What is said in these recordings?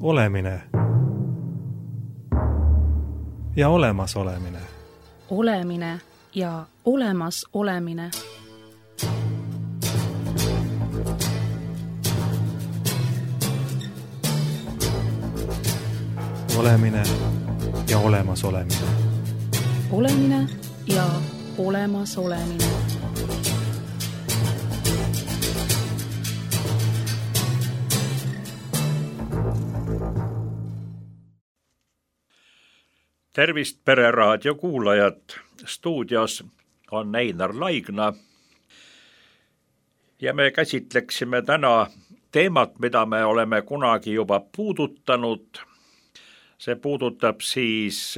olemine ja olemasolemine. Olemine ja olemasolemine. Olemine ja olemasolemine. Olemine ja olemasolemine. Tervist, Pereraadio kuulajad! Stuudios on Einar Laigna ja me käsitleksime täna teemat, mida me oleme kunagi juba puudutanud. See puudutab siis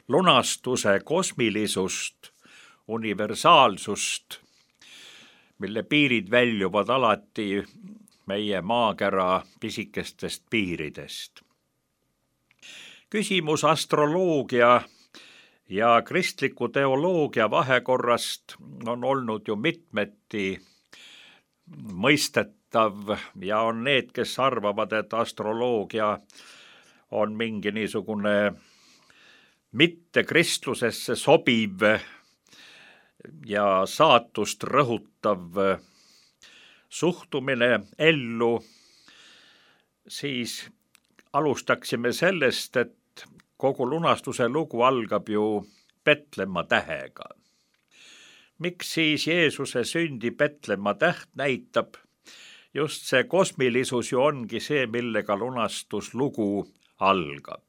lunastuse kosmilisust, universaalsust, mille piirid väljuvad alati meie maakera pisikestest piiridest. Küsimus astroloogia ja kristliku teoloogia vahekorrast on olnud ju mitmeti mõistetav ja on need, kes arvavad, et astroloogia on mingi niisugune mitte kristlusesse sobiv ja saatust rõhutav suhtumine ellu, siis alustaksime sellest, et kogu lunastuse lugu algab ju Petlemma tähega. Miks siis Jeesuse sündi Petlemma täht näitab? Just see kosmilisus ju ongi see, millega lunastuslugu algab.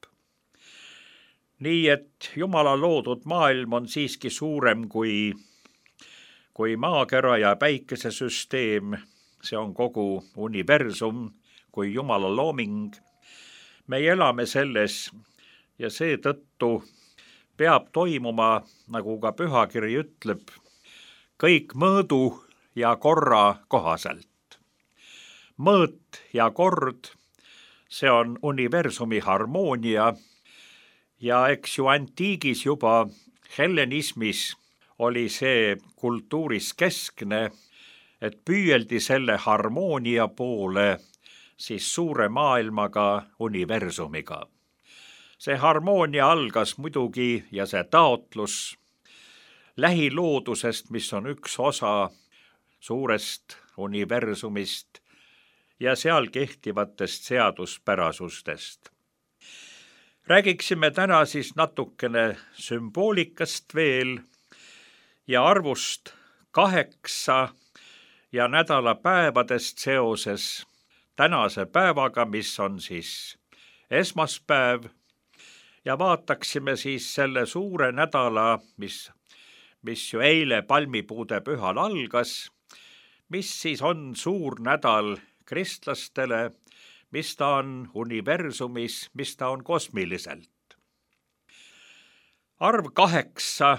Nii et Jumala loodud maailm on siiski suurem kui maakera ja päikesesüsteem. See on kogu universum kui Jumala looming. Me elame selles ja seetõttu peab toimuma, nagu ka pühakiri ütleb, kõik mõõdu ja korra kohaselt. Mõõt ja kord, see on universumi harmoonia ja eks ju antiigis juba hellenismis oli see kultuuris keskne, et püüeldi selle harmoonia poole siis suure maailmaga, universumiga. See harmoonia algas muidugi ja see taotlus lähiloodusest, mis on üks osa suurest universumist ja seal kehtivatest seaduspärasustest. Räägiksime täna siis natukene sümboolikast veel ja arvust 8 ja nädalapäevadest seoses tänase päevaga, mis on siis esmaspäev, ja vaataksime siis selle suure nädala, mis ju eile palmipuude pühal algas, mis siis on suur nädal kristlastele, mis ta on universumis, mis ta on kosmiliselt. Arv 8,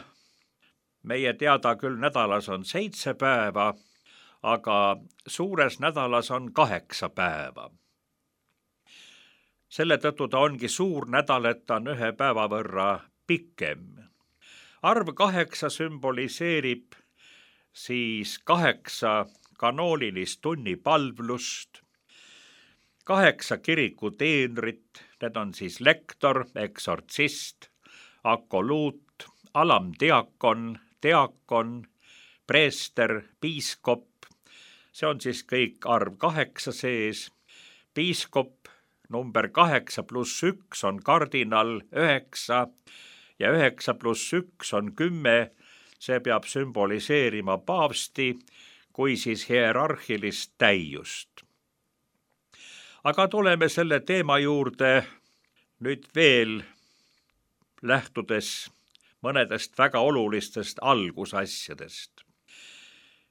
meie teada küll nädalas on 7 päeva, aga suures nädalas on 8 päeva. Selle tõttu ta ongi suur nädal, et ta on 1 päeva võrra pikem. Arv 8 sümboliseerib siis 8 kanoonilist tunnipalvlust, 8 kiriku teenrit, need on siis lektor, eksortsist, akoluut, alamdiakon, diakon, preester, piiskop. See on siis kõik arv 8 sees. Piiskop number 8 + 1 on kardinal 9 ja 9 + 1 on 10. See peab sümboliseerima paavsti kui siis hierarhilist täiust. Aga tuleme selle teema juurde nüüd veel lähtudes mõnedest väga olulistest algusasjadest.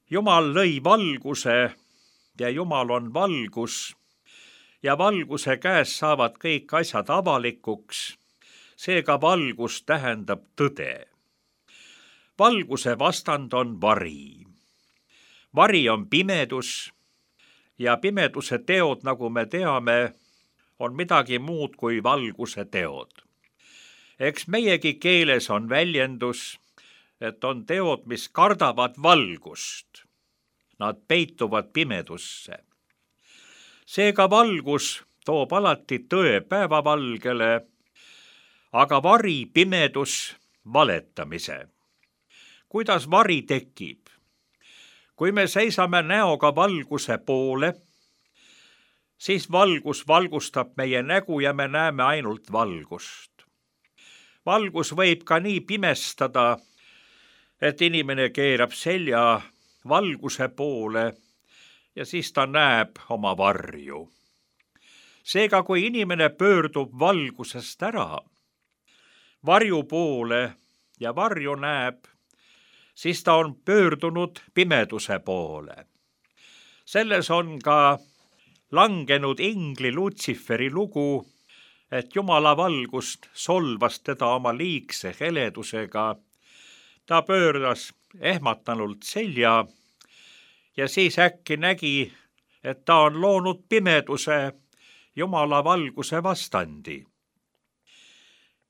Jumal lõi valguse ja Jumal on valgus ja valguse käes saavad kõik asjad avalikuks, seega valgus tähendab tõde. Valguse vastand on vari. Vari on pimedus ja pimeduse teod, nagu me teame, on midagi muud kui valguse teod. Eks meiegi keeles on väljendus, et on teod, mis kardavad valgust. Nad peituvad pimedusse. Seega valgus toob alati tõe päevavalgele, aga vari, pimedus, valetamise. Kuidas vari tekib? Kui me seisame näoga valguse poole, siis valgus valgustab meie nägu ja me näeme ainult valgust. Valgus võib ka nii pimestada, et inimene keerab selja valguse poole ja siis ta näeb oma varju. Seega, kui inimene pöördub valgusest ära varju poole ja varju näeb, siis ta on pöördunud pimeduse poole. Selles on ka langenud ingli Lutsiferi lugu, et Jumala valgust solvas teda oma liigse heledusega. Ta pööras ehmatanult selja ja siis äkki nägi, et ta on loonud pimeduse Jumala valguse vastandi.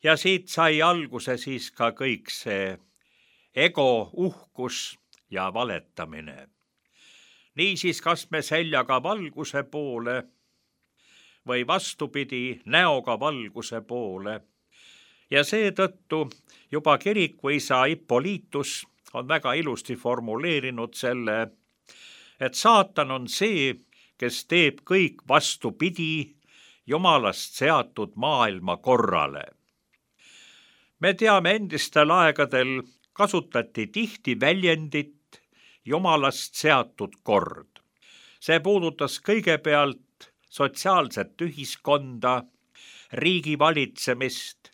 Ja siit sai alguse siis ka kõik see ego, uhkus ja valetamine. Niisiis, kas me seljaga valguse poole või vastupidi näoga valguse poole. Ja seetõttu juba kirikuisa Ippolitus on väga ilusti formuleerinud selle, et saatan on see, kes teeb kõik vastupidi Jumalast seatud maailma korrale. Me teame, endistel aegadel kasutati tihti väljendit Jumalast seatud kord. See puudutas kõigepealt sotsiaalset ühiskonda, riigi valitsemist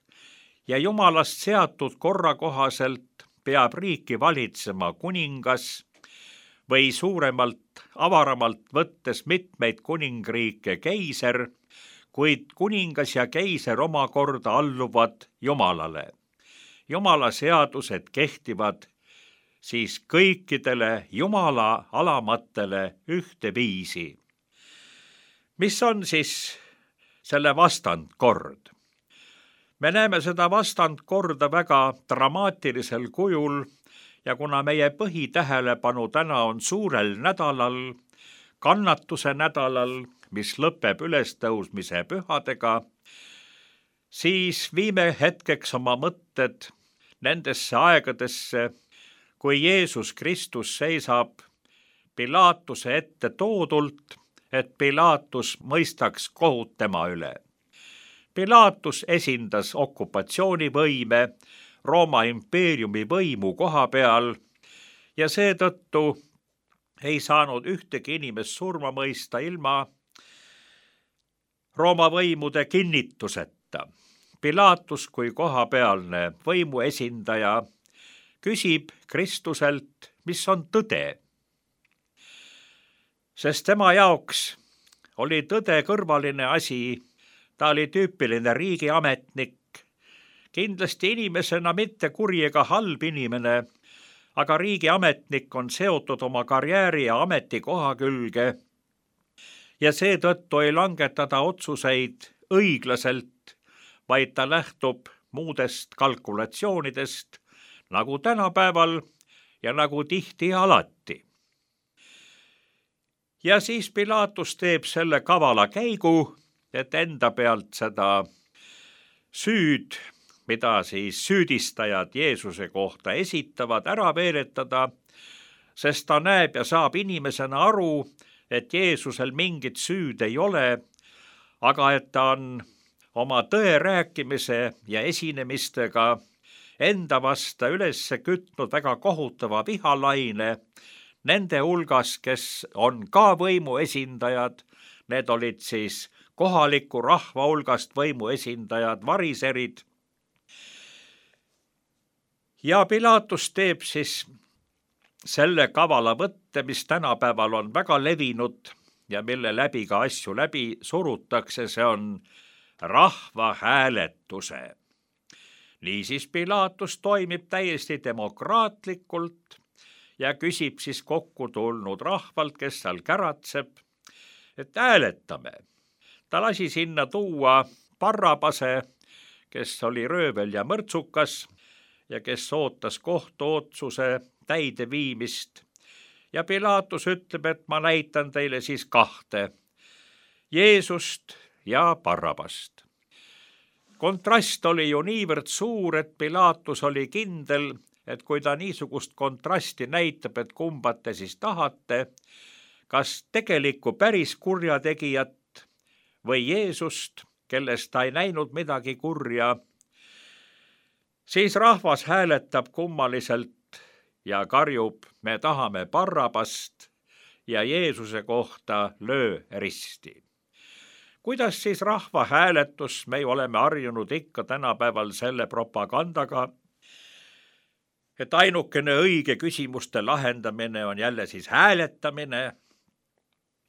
ja Jumalast seatud korra kohaselt peab riiki valitsema kuningas või suuremalt, avaramalt võttes mitmeid kuningriike keiser, kuid kuningas ja keiser omakorda alluvad Jumalale. Jumala seadused kehtivad siis kõikidele Jumala alamatele ühteviisi. Mis on siis selle vastandkord? Me näeme seda vastandkorda väga dramaatilisel kujul ja kuna meie põhitähelepanu täna on suurel nädalal, kannatuse nädalal, mis lõpeb ülestõusmise pühadega, siis viime hetkeks oma mõtted nendesse aegadesse, kui Jeesus Kristus seisab Pilaatuse ette toodult, et Pilaatus mõistaks kohut tema üle. Pilaatus esindas okupatsioonivõime, Rooma impeeriumi võimu koha peal ja seetõttu ei saanud ühtegi inimest surma mõista ilma Rooma võimude kinnituseta. Pilaatus kui kohapealne võimu esindaja küsib Kristuselt, mis on tõde. Sest tema jaoks oli tõde kõrvaline asi, ta oli tüüpiline riigiametnik, kindlasti inimesena mitte kuri ega halb inimene, aga riigiametnik on seotud oma karjääri ja ametikoha külge ja seetõttu ei langetada otsuseid õiglaselt, vaid ta lähtub muudest kalkulatsioonidest, nagu tänapäeval ja nagu tihti alati. Ja siis Pilaatus teeb selle kavala käigu, et enda pealt seda süüd, mida siis süüdistajad Jeesuse kohta esitavad, ära veeretada, sest ta näeb ja saab inimesena aru, et Jeesusel mingit süüd ei ole, aga et ta on oma tõe rääkimise ja esinemistega enda vasta üles kütnud väga kohutava vihalaine, nende hulgas, kes on ka võimu esindajad, need olid siis kohaliku rahva hulgast võimu esindajad, variserid. Ja Pilaatus teeb siis selle kavala võtte, mis tänapäeval on väga levinud ja mille läbi ka asju läbi surutakse, see on rahvahääletuse. Niisiis Pilaatus toimib täiesti demokraatlikult ja küsib siis kokku tulnud rahvalt, kes seal käratseb, et hääletame. Ta lasi sinna tuua Barrabase, kes oli röövel ja mõrtsukas ja kes ootas kohtuotsuse täideviimist. Ja Pilaatus ütleb, et ma näitan teile siis kahte. Jeesust, ja Barrabast. Kontrast oli ju niivõrd suur, et Pilatus oli kindel, et kui ta niisugust kontrasti näitab, et kumba te siis tahate, kas tegelikku päris kurjategijat või Jeesust, kellest ta ei näinud midagi kurja, siis rahvas hääletab kummaliselt ja karjub, me tahame Barrabast ja Jeesuse kohta löö risti. Kuidas siis rahvahääletus, me oleme harjunud ikka tänapäeval selle propagandaga, et ainukene õige küsimuste lahendamine on jälle siis hääletamine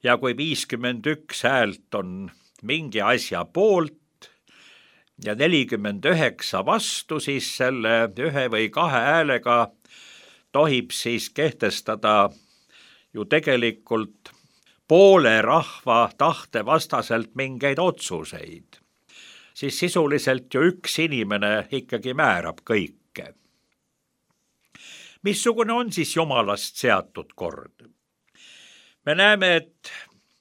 ja kui 51 häält on mingi asja poolt ja 49 vastu, siis selle 1 või 2 häälega tohib siis kehtestada ju tegelikult poole rahva tahte vastaselt mingeid otsuseid. Siis sisuliselt ju üks inimene ikkagi määrab kõike. Missugune on siis Jumalast seatud kord? Me näeme, et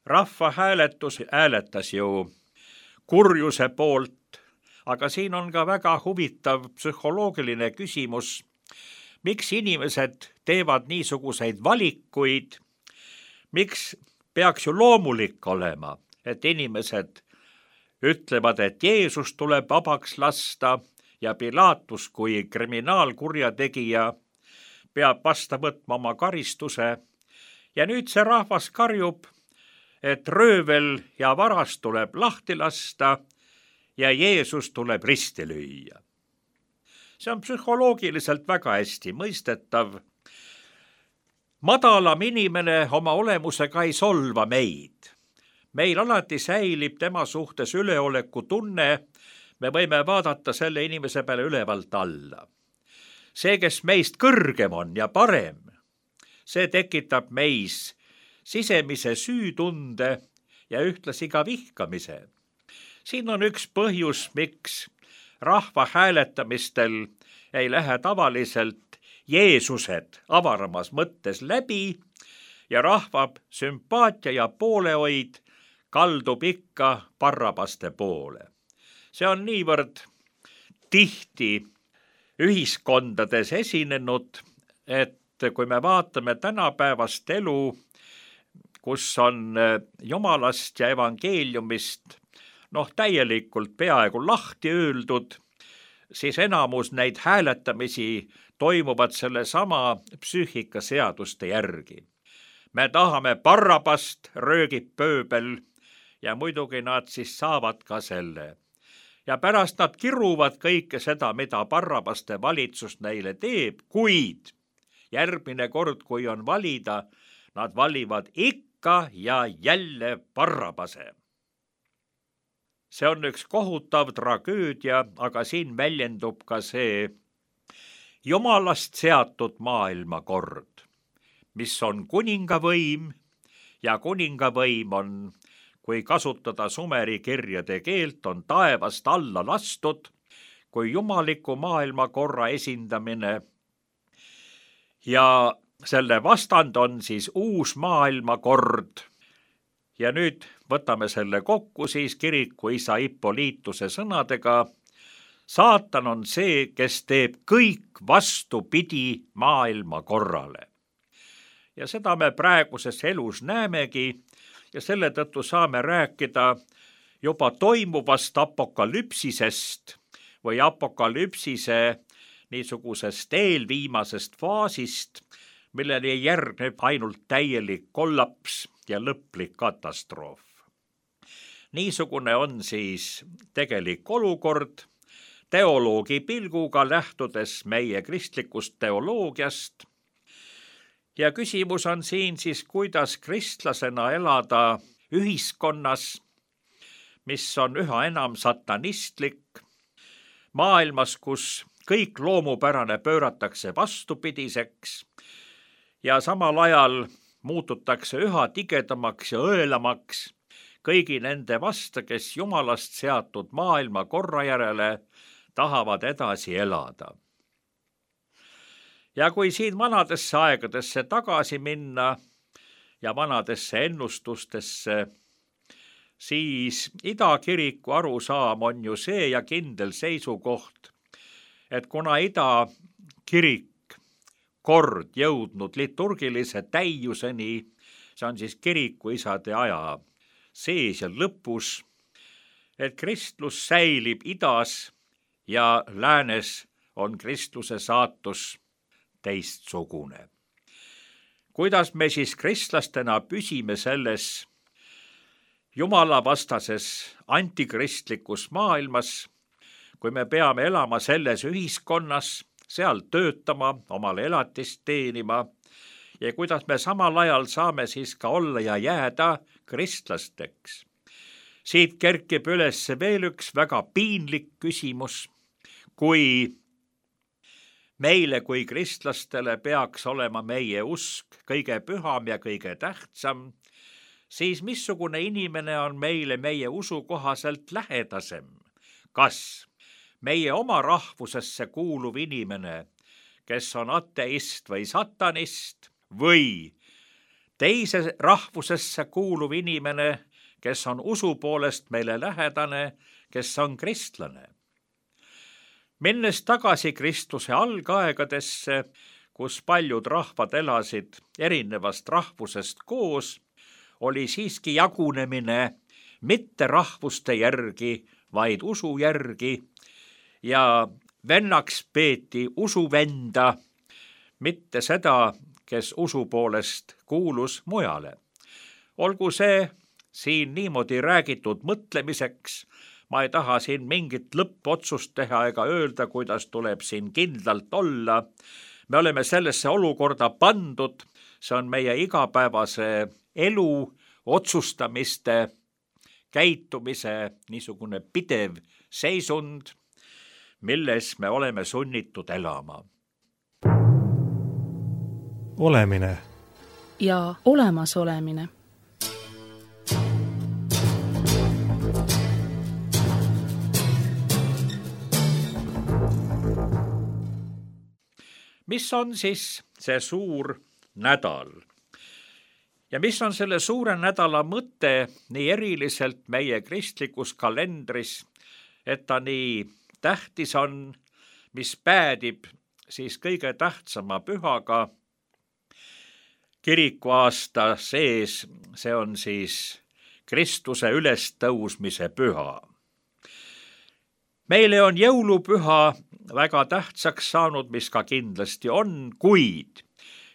rahvahääletus hääletas ju kurjuse poolt, aga siin on ka väga huvitav psühholoogiline küsimus, miks inimesed teevad niisuguseid valikuid, miks peaks ju loomulik olema, et inimesed ütlevad, et Jeesus tuleb vabaks lasta ja Pilatus kui kriminaalkurjategija peab vasta võtma oma karistuse ja nüüd see rahvas karjub, et röövel ja varas tuleb lahti lasta ja Jeesus tuleb risti lüüa. See on psühholoogiliselt väga hästi mõistetav. Madalam inimene oma olemusega ei solva meid. Meil alati säilib tema suhtes üleoleku tunne, me võime vaadata selle inimese peale ülevalt alla. See, kes meist kõrgem on ja parem, see tekitab meis sisemise süütunde ja ühtlasi ka vihkamise. Siin on üks põhjus, miks rahva hääletamistel ei lähe tavaliselt Jeesused avaramas mõttes läbi ja rahva sümpaatia ja poolehoid kaldub ikka Barrabaste poole. See on niivõrd tihti ühiskondades esinenud, et kui me vaatame tänapäevast elu, kus on Jumalast ja evangeeliumist täielikult peaaegu lahti öeldud, siis enamus neid hääletamisi toimuvad sellesama psüühikaseaduste järgi. Me tahame Barrabast, röögib pööbel ja muidugi nad siis saavad ka selle. Ja pärast nad kiruvad kõike seda, mida Barrabaste valitsus neile teeb, kuid järgmine kord, kui on valida, nad valivad ikka ja jälle Barrabase. See on üks kohutav tragöödia, aga siin väljendub ka see Jumalast seatud maailmakord, mis on kuningavõim ja kuningavõim on, kui kasutada Sumeri kirjade keelt, on taevast alla lastud kui jumaliku maailmakorra esindamine ja selle vastand on siis uus maailmakord. Ja nüüd võtame selle kokku siis kirikuisa Ippolituse sõnadega. Saatan on see, kes teeb kõik vastupidi maailmakorrale. Ja seda me praeguses elus näemegi ja selle tõttu saame rääkida juba toimuvast apokalüpsisest või apokalüpsise niisugusest eelviimasest faasist, millele järgneb ainult täielik kollaps ja lõplik katastroof. Niisugune on siis tegelik olukord, teoloogi pilguga lähtudes meie kristlikust teoloogiast. Ja küsimus on siin siis, kuidas kristlasena elada ühiskonnas, mis on üha enam satanistlik, maailmas, kus kõik loomupärane pööratakse vastupidiseks ja samal ajal muututakse üha tigedamaks ja õelamaks kõigi nende vastu, kes Jumalast seatud maailmakorra järele tahavad edasi elada. Ja kui siin vanadesse aegadesse tagasi minna ja vanadesse ennustustesse, siis Ida kiriku arusaam on ju see ja kindel seisukoht, et kuna Ida kirik kord jõudnud liturgilise täiuseni, see on siis kirikuisade aja sees ja lõpus, et kristlus säilib idas ja läänes on kristluse saatus teistsugune. Kuidas me siis kristlastena püsime selles jumalavastases antikristlikus maailmas, kui me peame elama selles ühiskonnas, seal töötama, omale elatist teenima ja kuidas me samal ajal saame siis ka olla ja jääda kristlasteks. Siit kerkib üles veel üks väga piinlik küsimus, kui meile kui kristlastele peaks olema meie usk kõige püham ja kõige tähtsam, siis missugune inimene on meile meie usu kohaselt lähedasem? Kas meie oma rahvusesse kuuluv inimene, kes on ateist või satanist, või teise rahvusesse kuuluv inimene, kes on usu poolest meile lähedane, kes on kristlane? Minnes tagasi Kristuse algaegadesse, kus paljud rahvad elasid erinevast rahvusest koos, oli siiski jagunemine mitte rahvuste järgi, vaid usu järgi ja vennaks peeti usuvenda, mitte seda, kes usu poolest kuulus mujale. Olgu see siin niimoodi räägitud mõtlemiseks, ma ei taha siin mingit lõppotsust teha ega öelda, kuidas tuleb siin kindlalt olla. Me oleme sellesse olukorda pandud, see on meie igapäevase elu, otsustamiste, käitumise niisugune pidev seisund, milles me oleme sunnitud elama. Olemine ja olemasolemine. Mis on siis see suur nädal? Ja mis on selle suure nädala mõte nii eriliselt meie kristlikus kalendris, et ta nii tähtis on, mis päädib siis kõige tähtsama pühaga kirikuaasta sees, see on siis Kristuse ülestõusmise püha. Meile on jõulupüha väga tähtsaks saanud, mis ka kindlasti on, kuid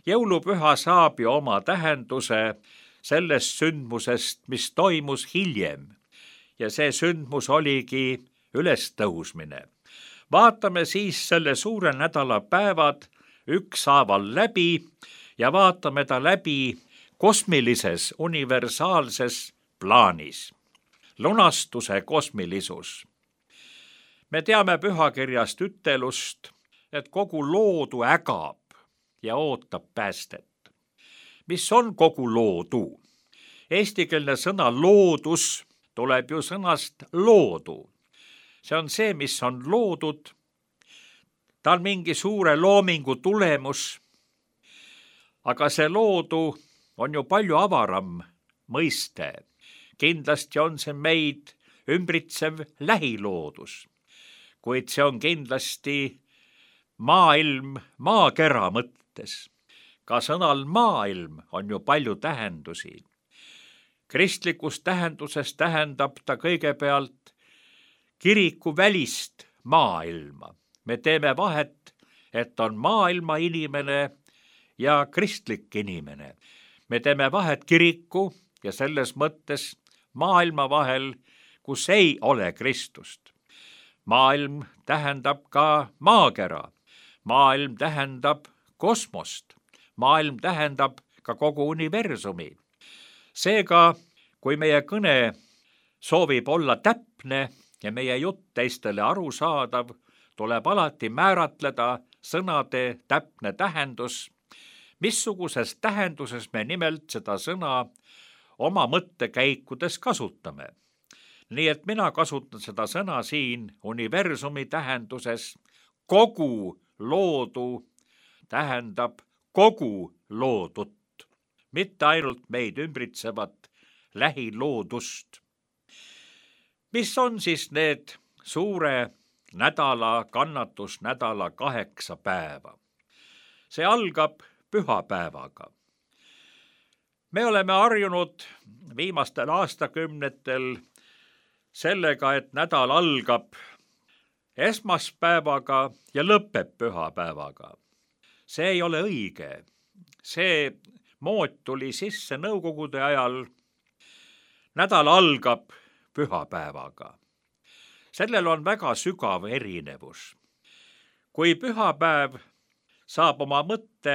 jõulupüha saab ju oma tähenduse sellest sündmusest, mis toimus hiljem. Ja see sündmus oligi ülestõusmine. Vaatame siis selle suure nädala päevad ükshaaval läbi ja vaatame ta läbi kosmilises, universaalses plaanis. Lunastuse kosmilisus. Me teame pühakirjast ütelust, et kogu loodu ägab ja ootab päästet. Mis on kogu loodu? Eestikeelne sõna loodus tuleb ju sõnast loodu. See on see, mis on loodud. Ta on mingi suure loomingu tulemus. Aga see loodu on ju palju avaram mõiste. Kindlasti on see meid ümbritsev lähiloodus. Kuid see on kindlasti maailm maakera mõttes. Ka sõnal maailm on ju palju tähendusi. Kristlikus tähenduses tähendab ta kõigepealt kiriku välist maailma. Me teeme vahet, et on maailma inimene ja kristlik inimene. Me teeme vahet kiriku ja selles mõttes maailma vahel, kus ei ole Kristust. Maailm tähendab ka maakera. Maailm tähendab kosmost. Maailm tähendab ka kogu universumi. Seega, kui meie kõne soovib olla täpne ja meie jutt teistele arusaadav, tuleb alati määratleda sõnade täpne tähendus, missuguses tähenduses me nimelt seda sõna oma mõttekäikudes kasutame. Nii et mina kasutan seda sõna siin universumi tähenduses. Kogu loodu tähendab kogu loodut, mitte ainult meid ümbritsevat lähiloodust. mis on siis need suure nädala, kannatusnädala 8 päeva? See algab pühapäevaga. Me oleme harjunud viimastel aastakümnetel sellega, et nädal algab esmaspäevaga ja lõpeb pühapäevaga. See ei ole õige. See mood tuli sisse nõukogude ajal. Nädal algab pühapäevaga. Sellel on väga sügav erinevus. Kui pühapäev saab oma mõtte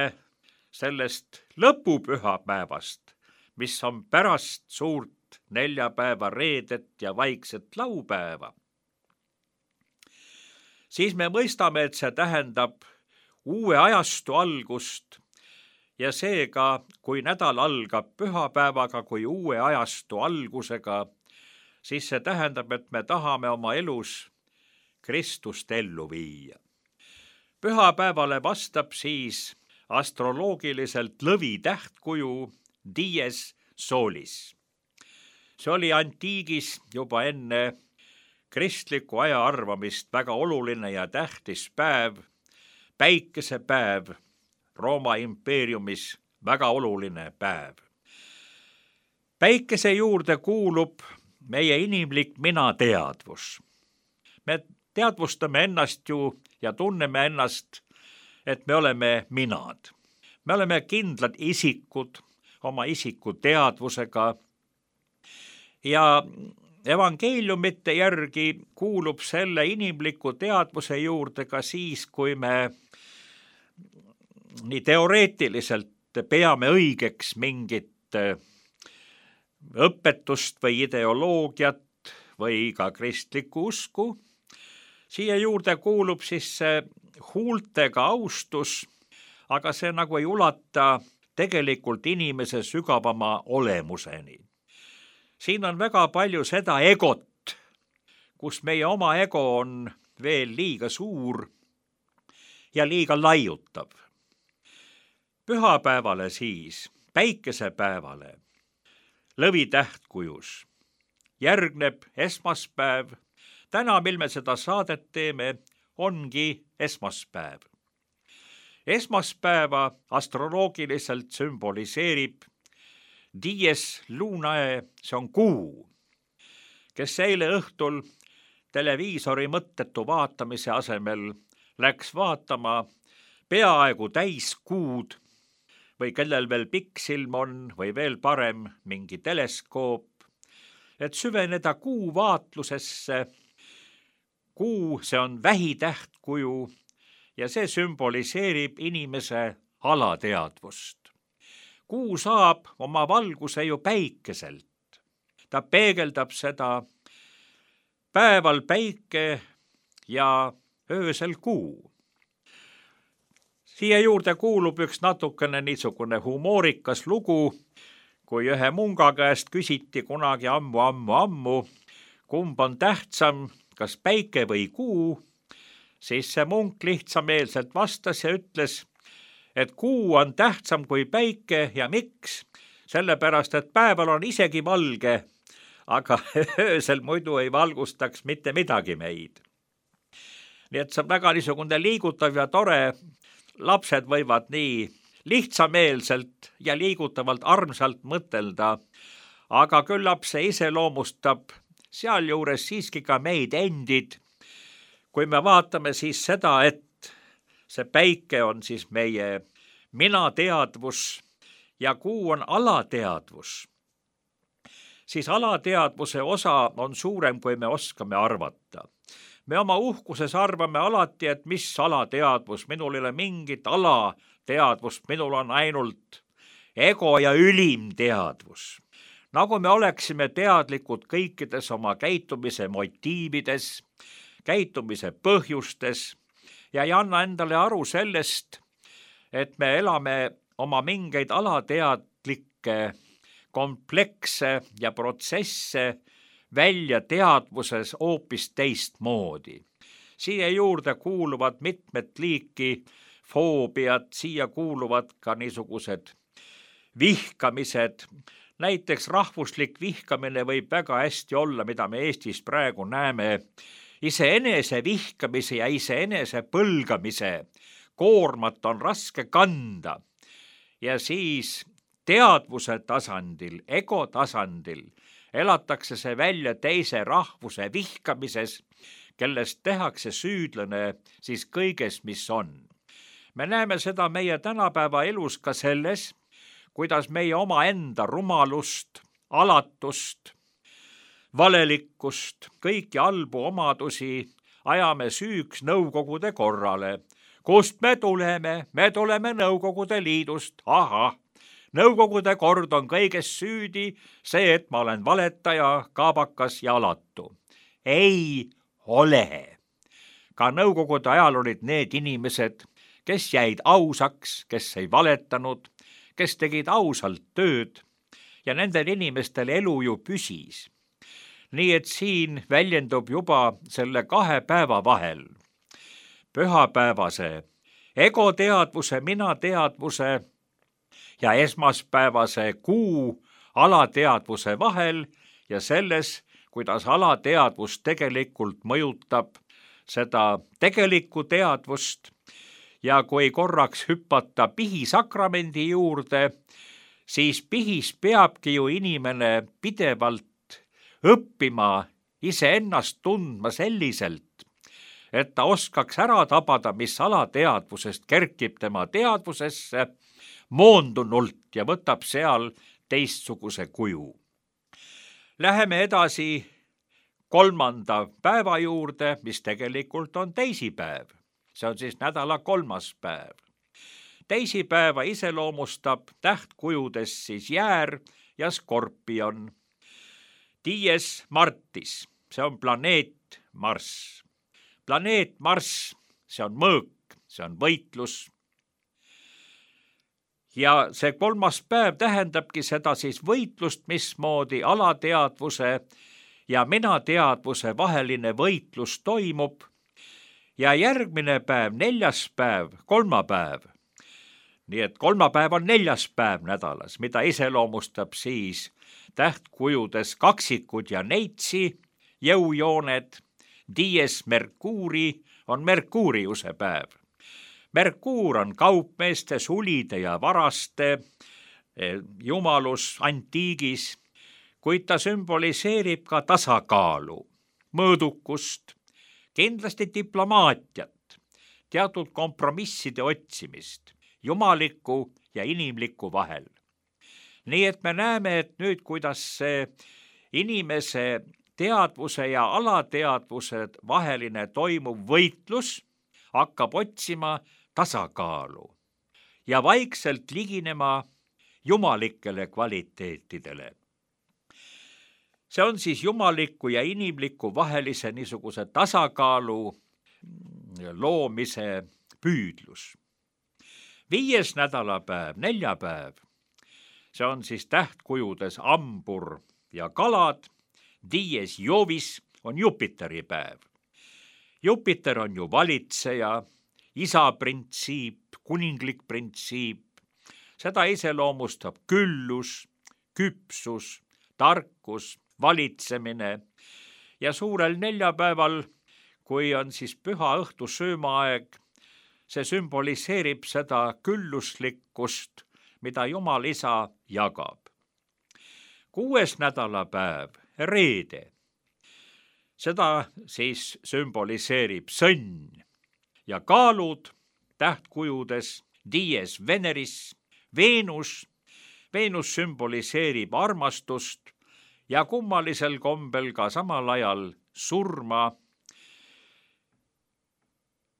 sellest lõpupühapäevast, mis on pärast suurt neljapäeva, reedet ja vaikset laupäeva, siis me mõistame, et see tähendab uue ajastu algust ja seega, kui nädal algab pühapäevaga kui uue ajastu algusega, siis see tähendab, et me tahame oma elus Kristust ellu viia. Pühapäevale vastab siis astroloogiliselt lõvi tähtkuju dies solis. See oli antiigis juba enne kristliku aja arvamist väga oluline ja tähtis päev, päikesepäev, Rooma impeeriumis väga oluline päev. Päikese juurde kuulub meie inimlik minateadvus. Me teadvustame ennast ju ja tunneme ennast, et me oleme minad. Me oleme kindlad isikud oma isiku teadvusega ja evangeeliumite järgi kuulub selle inimliku teadvuse juurde ka siis, kui me nii teoreetiliselt peame õigeks mingit õpetust või ideoloogiat või ka kristlikku usku. Siia juurde kuulub siis see huultega austus, aga see nagu ei ulata tegelikult inimese sügavama olemuseni. Siin on väga palju seda egot, kus meie oma ego on veel liiga suur ja liiga laiutav. Pühapäevale siis, päikesepäevale, lõvi tähtkujus, järgneb esmaspäev. Täna, mil me seda saadet teeme, ongi esmaspäev. Esmaspäeva astroloogiliselt sümboliseerib dies lunae, see on kuu, kes eile õhtul televiisori mõttetu vaatamise asemel läks vaatama peaaegu täiskuud või kellel veel pikksilm on või veel parem mingi teleskoop, et süveneda kuu vaatlusesse. Kuu, see on vähitähtkuju ja see sümboliseerib inimese alateadvust. Kuu saab oma valguse ju päikeselt. Ta peegeldab seda päeval päike ja öösel kuu. Siia juurde kuulub üks natukene niisugune humoorikas lugu, kui ühe munga käest küsiti kunagi ammu, kumb on tähtsam, kas päike või kuu, siis see munk lihtsameelselt vastas ja ütles, et kuu on tähtsam kui päike ja miks? Sellepärast, et päeval on isegi valge, aga öösel muidu ei valgustaks mitte midagi meid. Nii et see on väga niisugune liigutav ja tore. Lapsed võivad nii lihtsameelselt ja liigutavalt armsalt mõtelda, aga küllap see iseloomustab sealjuures siiski ka meid endid. Kui me vaatame siis seda, et see päike on siis meie minateadvus ja kuu on alateadvus, siis alateadvuse osa on suurem, kui me oskame arvata. Me oma uhkuses arvame alati, et mis alateadvus, minul ei ole mingit alateadvust, minul on ainult ego ja ülim teadvus. Nagu me oleksime teadlikud kõikides oma käitumise motiivides, käitumise põhjustes ja ei anna endale aru sellest, et me elame oma mingeid alateadlikke komplekse ja protsesse välja teadvuses hoopis teistmoodi. Siia juurde kuuluvad mitmed liiki foobiad, siia kuuluvad ka niisugused vihkamised, näiteks rahvuslik vihkamine võib väga hästi olla, mida me Eestis praegu näeme, iseenese vihkamise ja iseenese põlgamise koormat on raske kanda ja siis teadvuse tasandil, ego tasandil elatakse see välja teise rahvuse vihkamises, kellest tehakse süüdlane siis kõiges, mis on. Me näeme seda meie tänapäeva elus ka selles, kuidas meie omaenda rumalust, alatust, valelikkust, kõiki halbu omadusi ajame süüks Nõukogude korrale. Kust me tuleme? Me tuleme Nõukogude Liidust. Ahah, Nõukogude kord on kõiges süüdi, see, et ma olen valetaja, kaabakas ja alatu. Ei ole. Ka Nõukogude ajal olid need inimesed, kes jäid ausaks, kes ei valetanud, kes tegid ausalt tööd ja nendel inimestel elu ju püsis. Nii et siin väljendub juba selle 2 päeva vahel, pühapäevase egoteadvuse, minateadvuse ja esmaspäevase kuu alateadvuse vahel ja selles, kuidas alateadvus tegelikult mõjutab seda tegelikku teadvust. Ja kui korraks hüpata pihisakramendi juurde, siis pihis peabki ju inimene pidevalt õppima iseennast tundma selliselt, et ta oskaks ära tabada, mis alateadvusest kerkib tema teadvusesse moondunult ja võtab seal teistsuguse kuju. Läheme edasi 3. päeva juurde, mis tegelikult on teisipäev. See on siis nädala 3. päev. Teisipäeva iseloomustab tähtkujudes siis jäär ja skorpion. Dies Martis, see on planeet Marss. Planeet Marss, see on mõõk, see on võitlus. Ja see 3. päev tähendabki seda siis võitlust, mismoodi alateadvuse ja minateadvuse vaheline võitlus toimub. Ja järgmine päev, 4. päev, kolmapäev. Nii et kolmapäev on 4. päev nädalas, mida iseloomustab siis tähtkujudes kaksikud ja neitsi, jõujooned. Dies Mercurii on Merkuuriuse päev. Merkuur on kaupmeeste, sulide ja varaste jumalus antiigis, kuid ta sümboliseerib ka tasakaalu, mõõdukust, kindlasti diplomaatiat, teatud kompromisside otsimist, jumaliku ja inimliku vahel. Nii et me näeme, et nüüd, kuidas see inimese teadvuse ja alateadvuse vaheline toimuv võitlus hakkab otsima tasakaalu ja vaikselt liginema jumalikele kvaliteetidele. See on siis jumaliku ja inimliku vahelise niisuguse tasakaalu loomise püüdlus. 5. nädalapäev, neljapäev, see on siis tähtkujudes ambur ja kalad. Dies Jovis on Jupiteri päev. Jupiter on ju valitseja, isa printsiip, kuninglik printsiip. Seda iseloomustab küllus, küpsus, tarkus, valitsemine ja suurel neljapäeval, kui on siis püha õhtu söömaaeg, see sümboliseerib seda külluslikkust, mida Jumal isa jagab. 6. nädalapäev, reede. Seda siis sümboliseerib sõnn ja kaalud tähtkujudes Dies Veneris, Veenus. Veenus sümboliseerib armastust ja kummalisel kombel ka samal ajal surma,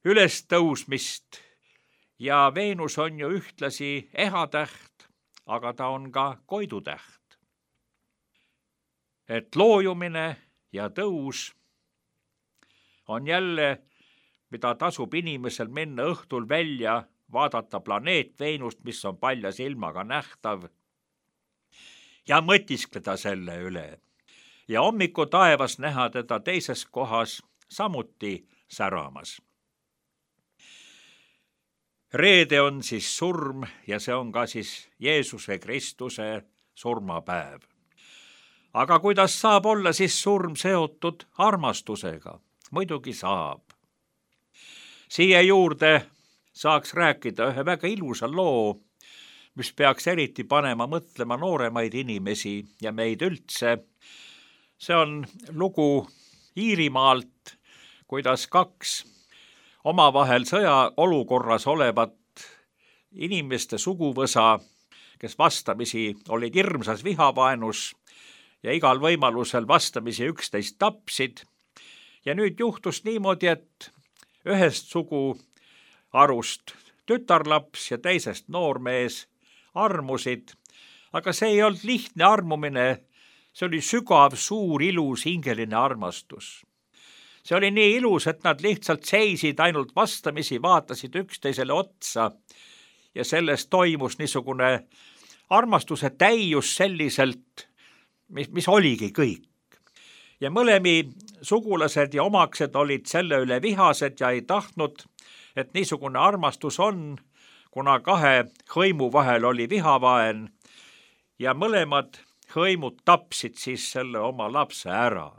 ülestõusmist ja Veenus on ju ühtlasi ehatäht, aga ta on ka koidutäht. Et loojumine ja tõus on jälle, mida tasub inimesel minna õhtul välja, vaadata planeet Veenust, mis on palja silmaga nähtav, ja mõtiskleda selle üle. Ja hommiku taevas näha teda teises kohas samuti säramas. Reede on siis surm ja see on ka siis Jeesuse Kristuse surmapäev. aga kuidas saab olla siis surm seotud armastusega? Muidugi saab. Siia juurde saaks rääkida ühe väga ilusa loo, mis peaks eriti panema mõtlema nooremaid inimesi ja meid üldse. See on lugu Iirimaalt, kuidas kaks omavahel sõjaolukorras olevat inimeste suguvõsa, kes vastamisi olid hirmsas vihavaenus ja igal võimalusel vastamisi üksteist tapsid. Ja nüüd juhtus niimoodi, et ühest suguharust tütarlaps ja teisest noormees armusid, aga see ei olnud lihtne armumine, see oli sügav, suur, ilus, hingeline armastus. See oli nii ilus, et nad lihtsalt seisid ainult vastamisi, vaatasid üksteisele otsa ja sellest toimus niisugune armastuse täius selliselt, mis oligi kõik. Ja mõlemi sugulased ja omaksed olid selle üle vihased ja ei tahtnud, et niisugune armastus on, kuna kahe hõimu vahel oli vihavaen ja mõlemad hõimud tapsid siis selle oma lapse ära.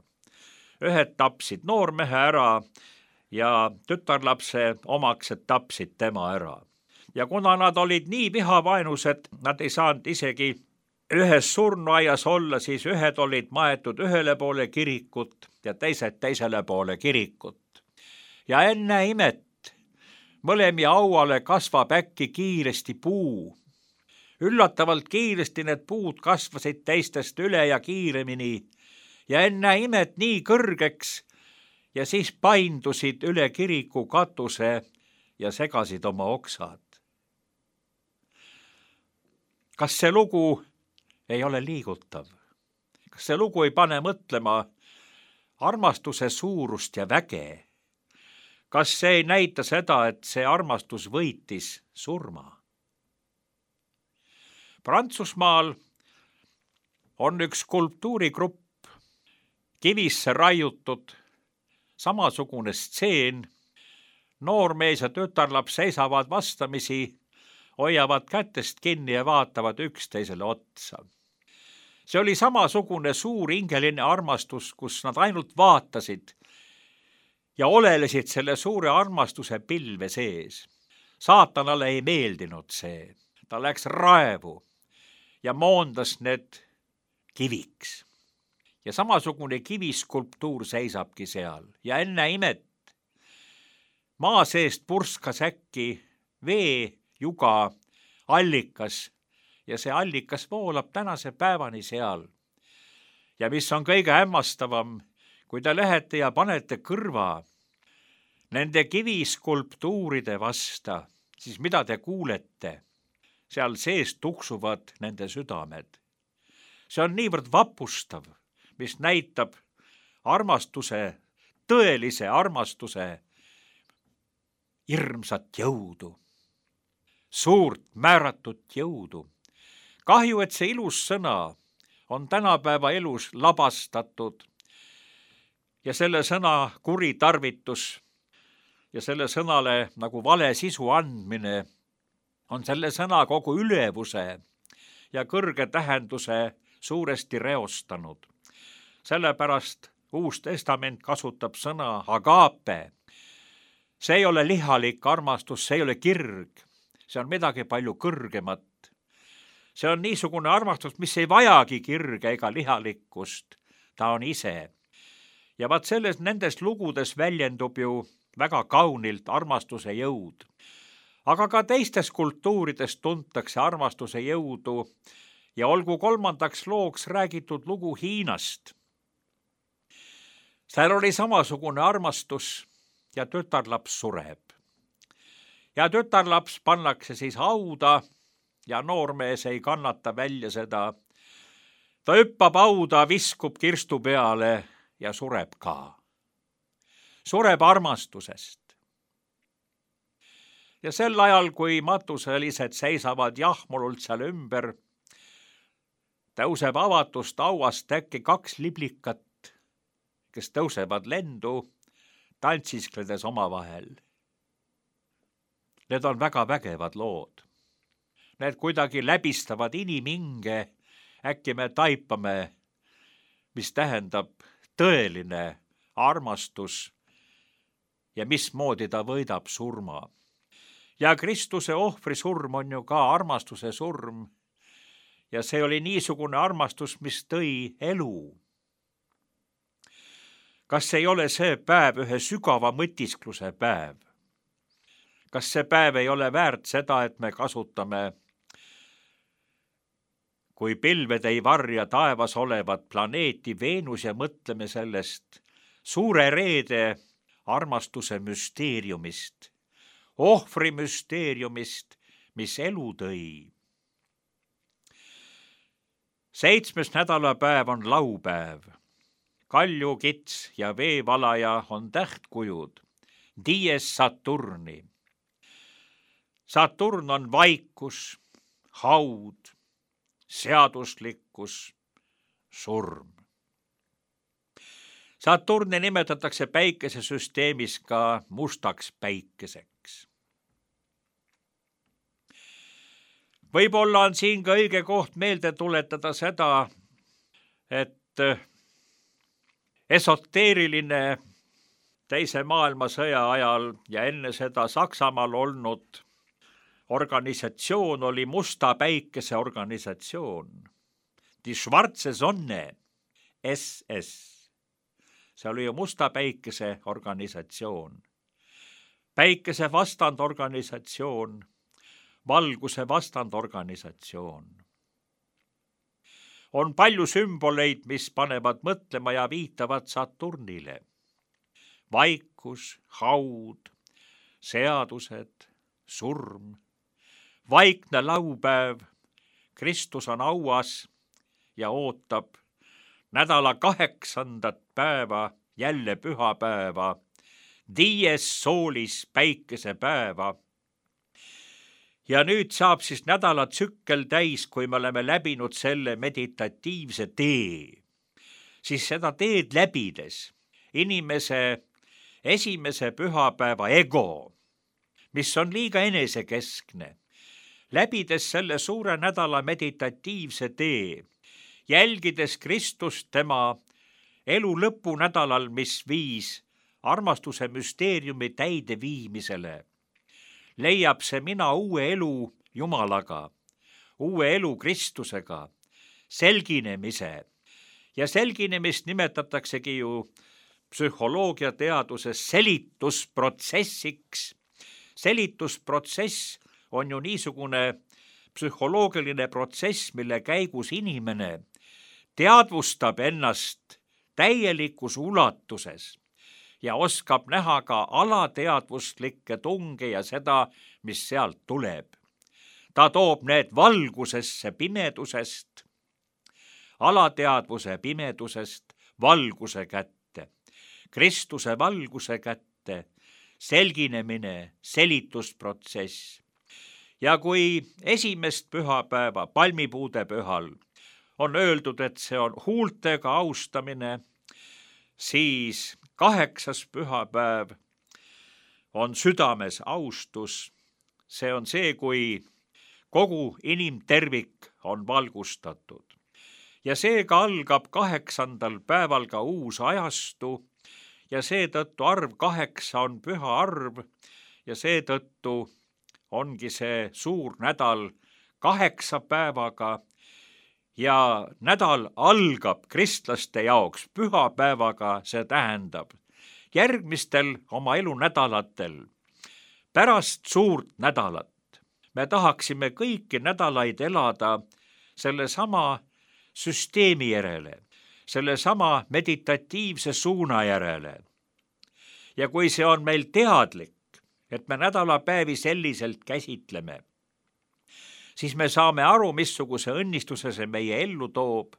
Ühed tapsid noormehe ära ja tütarlapse omaksed tapsid tema ära. Ja kuna nad olid nii vihavaenused, nad ei saanud isegi ühes surnuaias olla, siis ühed olid maetud ühele poole kirikut ja teised teisele poole kirikut. Ja enne imet mõlemi hauale kasvab äkki kiiresti puu. Üllatavalt kiiresti need puud kasvasid teistest üle ja kiiremini ja enne imet nii kõrgeks ja siis paindusid üle kiriku katuse ja segasid oma oksad. Kas see lugu ei ole liigutav? Kas see lugu ei pane mõtlema armastuse suurust ja väge? Kas see ei näita seda, et see armastus võitis surma? Prantsusmaal on üks skulptuurigrupp kivisse raiutud, samasugune stseen, noormees ja tütarlaps seisavad vastamisi, hoiavad kätest kinni ja vaatavad üksteisele otsa. See oli samasugune suur hingeline armastus, kus nad ainult vaatasid ja olelesid selle suure armastuse pilve sees. Saatanale ei meeldinud see. Ta läks raevu ja moondas need kiviks. Ja samasugune kiviskulptuur seisabki seal. Ja enne imet maa seest purskas äkki veejuga allikas ja see allikas voolab tänase päevani seal. Ja mis on kõige hämmastavam, kui te lähete ja panete kõrva nende kiviskulptuuride vasta, siis mida te kuulete? Seal sees tuksuvad nende südamed. See on niivõrd vapustav, mis näitab armastuse, tõelise armastuse hirmsat jõudu, suurt määratud jõudu. Kahju, et see ilus sõna on tänapäeva elus labastatud ja selle sõna kuritarvitus ja selle sõnale nagu vale sisu andmine on selle sõna kogu ülevuse ja kõrge tähenduse suuresti reostanud. Sellepärast Uus Testament kasutab sõna agape. See ei ole lihalik armastus, see ei ole kirg. See on midagi palju kõrgemat. See on niisugune armastus, mis ei vajagi kirge ega lihalikkust. Ta on ise. Ja vaat nendes lugudes väljendub ju väga kaunilt armastuse jõud. Aga ka teistes kultuurides tuntakse armastuse jõudu ja olgu kolmandaks looks räägitud lugu Hiinast. Seal oli samasugune armastus ja tütarlaps sureb. Ja tütarlaps pannakse siis hauda ja noormees ei kannata välja seda. Ta hüppab hauda, viskub kirstu peale ja sureb ka. Sureb armastusest. Ja sel ajal, kui matuselised seisavad jahmulult seal ümber, tõuseb avatust hauast äkki 2 liblikat, kes tõusevad lendu, tantsiskledes omavahel. Need on väga vägevad lood. Need kuidagi läbistavad inimhinge äkki me taipame, mis tähendab tõeline armastus ja mismoodi ta võidab surma. Ja Kristuse ohvri surm on ju ka armastuse surm ja see oli niisugune armastus, mis tõi elu. Kas ei ole see päev ühe sügava mõtiskluse päev? Kas see päev ei ole väärt seda, et me kasutame, kui pilved ei varja taevas olevat planeeti Veenus ja mõtleme sellest suure reede armastuse müsteeriumist, ohvri müsteeriumist, mis elu tõi. 7. nädalapäev on laupäev. Kalju, kits ja veevalaja on tähtkujud, dies Saturni. Saturn on vaikus, haud, seaduslikkus, surm. Saturni nimetatakse päikesesüsteemis ka mustaks päikeseks. Võib-olla on siin ka õige koht meelde tuletada seda, et esoteeriline teise maailmasõja ajal ja enne seda Saksamaal olnud organisatsioon oli musta päikese organisatsioon. Die Schwarze Sonne, SS. See oli ju musta päikese organisatsioon. Päikese vastandorganisatsioon, valguse vastandorganisatsioon. On palju sümboleid, mis panevad mõtlema ja viitavad Saturnile. Vaikus, haud, seadused, surm, vaikne laupäev, Kristus on auas ja ootab nädala 8. päeva, jälle pühapäeva, dies solis päikesepäeva. Ja nüüd saab siis nädalatsükkel täis, kui me oleme läbinud selle meditatiivse tee. Siis seda teed läbides inimese esimese pühapäeva ego, mis on liiga enesekeskne, läbides selle suure nädala meditatiivse tee, jälgides Kristust tema elu lõpunädalal, mis viis armastuse müsteeriumi täideviimisele, leiab see mina uue elu Jumalaga, uue elu Kristusega, selginemise. Ja selginemist nimetataksegi ju psühholoogiateaduses selitusprotsessiks. Selitusprotsess on ju niisugune psühholoogiline protsess, mille käigus inimene teadvustab ennast täielikus ulatuses ja oskab näha ka alateadvustlikke tunge ja seda, mis sealt tuleb. Ta toob need valgusesse pimedusest, alateadvuse pimedusest valguse kätte, Kristuse valguse kätte, selginemine, selitusprotsess. Ja kui esimest pühapäeva, palmipuude pühal, on öeldud, et see on huultega austamine, siis 8. pühapäev on südames austus. See on see, kui kogu inimtervik on valgustatud. Ja seega algab 8. päeval ka uus ajastu ja seetõttu arv 8 on püha arv ja seetõttu ongi see suur nädal 8 päevaga ja nädal algab kristlaste jaoks pühapäevaga, see tähendab järgmistel oma elunädalatel pärast suurt nädalat. Me tahaksime kõiki nädalaid elada sellesama süsteemi järele, sellesama meditatiivse suuna järele. Ja kui see on meil teadlik, et me nädalapäevi selliselt käsitleme, siis me saame aru, missuguse õnnistuse see meie ellu toob,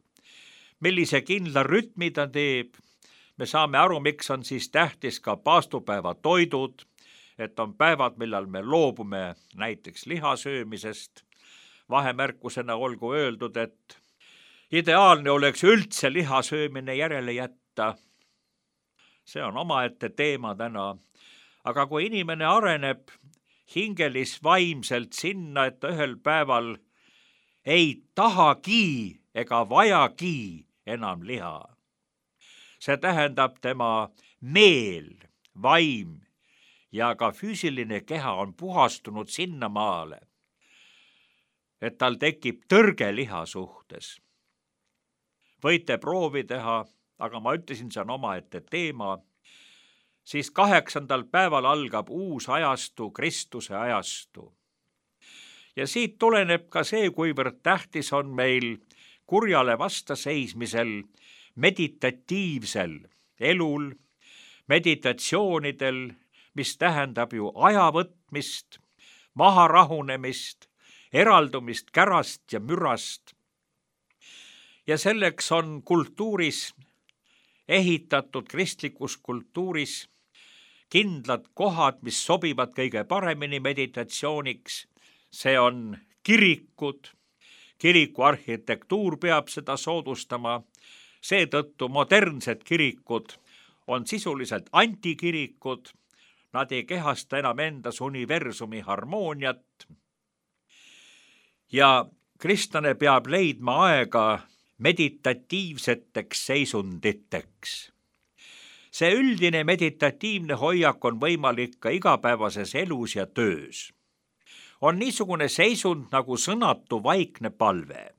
millise kindla rütmi ta teeb. Me saame aru, miks on siis tähtis ka paastupäeva toidud, et on päevad, millal me loobume näiteks lihasöömisest. Vahemärkusena olgu öeldud, et ideaalne oleks üldse lihasöömine järele jätta. See on omaette teema täna. Aga kui inimene areneb hingelis vaimselt sinna, et ta ühel päeval ei tahagi ega vajagi enam liha. See tähendab, tema meel, vaim ja ka füüsiline keha on puhastunud sinnamaale, et tal tekib tõrge liha suhtes. Võite proovi teha, aga ma ütlesin, see on omaette teema. Siis 8. päeval algab uus ajastu, Kristuse ajastu. Ja siit tuleneb ka see, kuivõrd tähtis on meil kurjale vastaseismisel, meditatiivsel elul, meditatsioonidel, mis tähendab ju aja võtmist, maha rahunemist, eraldumist kärast ja mürast. Ja selleks on kultuuris ehitatud, kristlikus kultuuris, kindlad kohad, mis sobivad kõige paremini meditatsiooniks. See on kirikud, kiriku arhitektuur peab seda soodustama, seetõttu modernsed kirikud on sisuliselt antikirikud, nad ei kehasta enam endas universumi harmooniat. Ja kristlane peab leidma aega meditatiivseteks seisunditeks. See üldine meditatiivne hoiak on võimalik ka igapäevases elus ja töös. On niisugune seisund nagu sõnatu vaikne palve.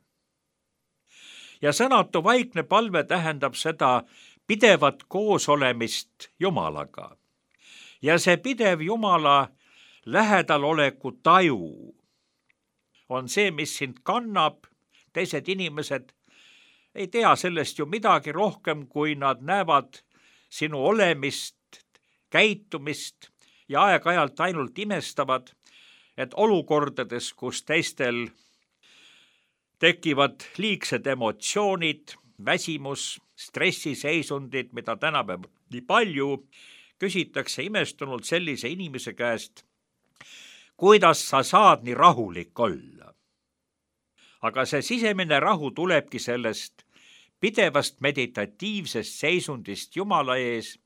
Ja sõnatu vaikne palve tähendab seda pidevat koosolemist Jumalaga. Ja see pidev Jumala lähedaloleku taju on see, mis sind kannab. Teised inimesed ei tea sellest ju midagi rohkem, kui nad näevad sinu olemist, käitumist ja aeg-ajalt ainult imestavad, et olukordades, kus teistel tekivad liigsed emotsioonid, väsimus, stressiseisundid, mida tänapäeval nii palju, küsitakse imestunult sellise inimese käest, kuidas sa saad nii rahulik olla. Aga see sisemine rahu tulebki sellest pidevast meditatiivsest seisundist Jumala ees,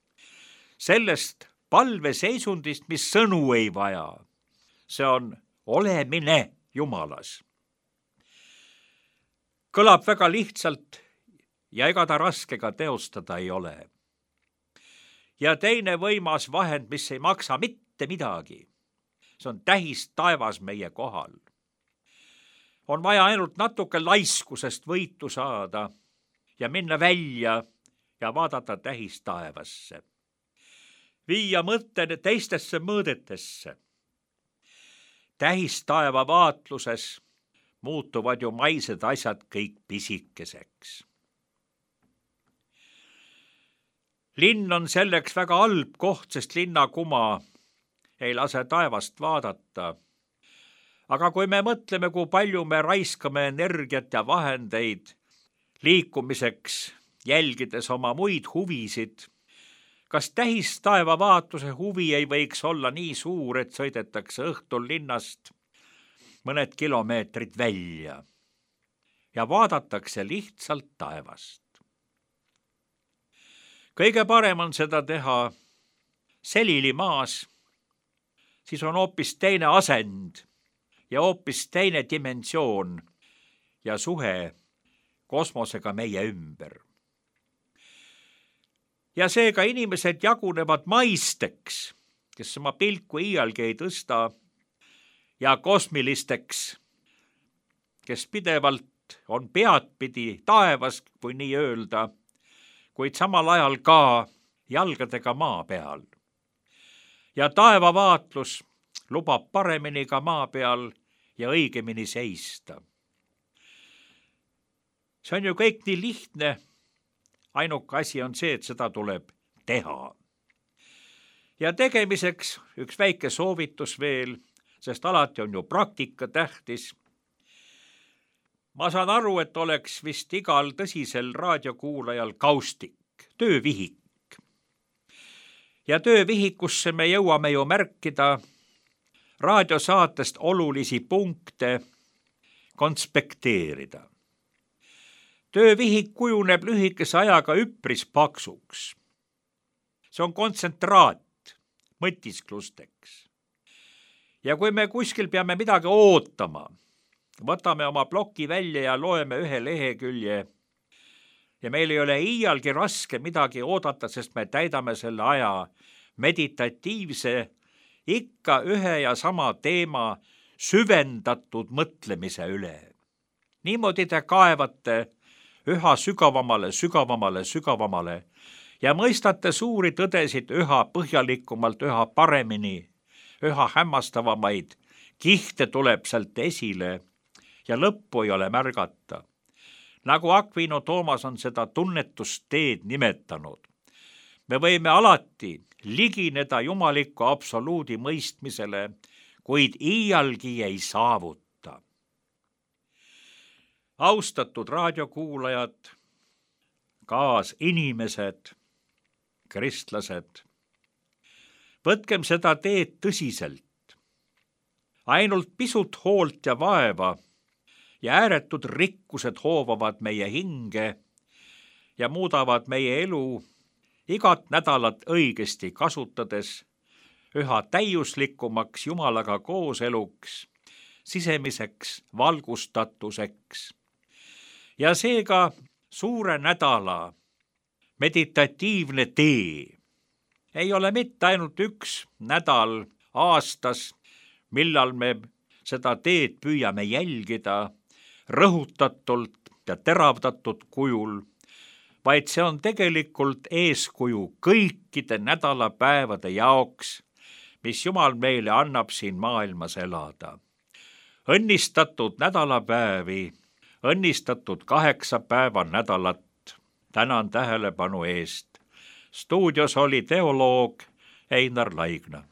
sellest palveseisundist, mis sõnu ei vaja. See on olemine Jumalas. Kõlab väga lihtsalt ja ega ta raske ka teostada ei ole. Ja teine võimas vahend, mis ei maksa mitte midagi, see on tähis taevas meie kohal. On vaja ainult natuke laiskusest võitu saada ja minna välja ja vaadata tähis taevasse. Viia mõtte teistesse mõõdetesse. Tähis taeva vaatluses muutuvad ju maised asjad kõik pisikeseks. Linn on selleks väga halb koht, sest linnakuma ei lase taevast vaadata. Aga kui me mõtleme, kui palju me raiskame energiat ja vahendeid liikumiseks, jälgides oma muid huvisid, kas tähis taeva vaatuse huvi ei võiks olla nii suur, et sõidetakse õhtul linnast mõned kilomeetrid välja ja vaadatakse lihtsalt taevast. Kõige parem on seda teha selilimaas, siis on hoopis teine asend ja hoopis teine dimensioon ja suhe kosmosega meie ümber. Ja seega inimesed jagunevad maisteks, kes oma pilku iialgi ei tõsta, ja kosmilisteks, kes pidevalt on peadpidi taevas, kui nii öelda, kuid samal ajal ka jalgadega maa peal. Ja taevavaatlus lubab paremini ka maa peal ja õigemini seista. See on ju kõik nii lihtne, ainuke asi on see, et seda tuleb teha. Ja tegemiseks üks väike soovitus veel, sest alati on ju praktika tähtis. Ma saan aru, et oleks vist igal tõsisel raadiokuulajal kaustik, töövihik. Ja töövihikusse me jõuame ju märkida raadiosaatest olulisi punkte, konspekteerida. Töövihik kujuneb lühikese ajaga üpris paksuks. See on kontsentraat mõtisklusteks. Ja kui me kuskil peame midagi ootama, võtame oma ploki välja ja loeme ühe lehekülje. Ja meil ei ole iialgi raske midagi oodata, sest me täidame selle aja meditatiivse, ikka ühe ja sama teema süvendatud mõtlemise üle. Niimoodi te kaevate üha sügavamale ja mõistate suuri tõdesid üha põhjalikumalt, üha paremini, üha hämmastavamaid kihte tuleb sealt esile ja lõppu ei ole märgata. Nagu Aquino Toomas on seda tunnetusteed nimetanud. Me võime alati ligineda jumaliku absoluudi mõistmisele, kuid iialgi ei saavuta. Austatud raadiokuulajad, kaasinimesed, kristlased, võtkem seda teed tõsiselt. Ainult pisut hoolt ja vaeva ja ääretud rikkused hoovavad meie hinge ja muudavad meie elu igat nädalat õigesti kasutades üha täiuslikumaks Jumalaga kooseluks, sisemiseks valgustatuseks. Ja seega suure nädala meditatiivne tee ei ole mitte ainult üks nädal aastas, millal me seda teed püüame jälgida rõhutatult ja teravdatud kujul, vaid see on tegelikult eeskuju kõikide nädalapäevade jaoks, mis Jumal meile annab siin maailmas elada. Õnnistatud nädalapäevi, õnnistatud 8 päeva nädalat. Tänan tähelepanu eest. Stuudios oli teoloog Einar Laigna.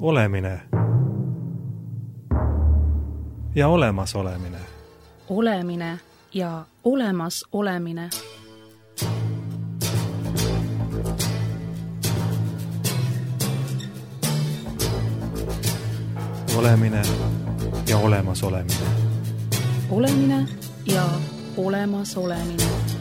Olemine ja olemasolemine. Olemine ja olemasolemine. Olemine ja olemasolemine. Olemine ja olemasolemine.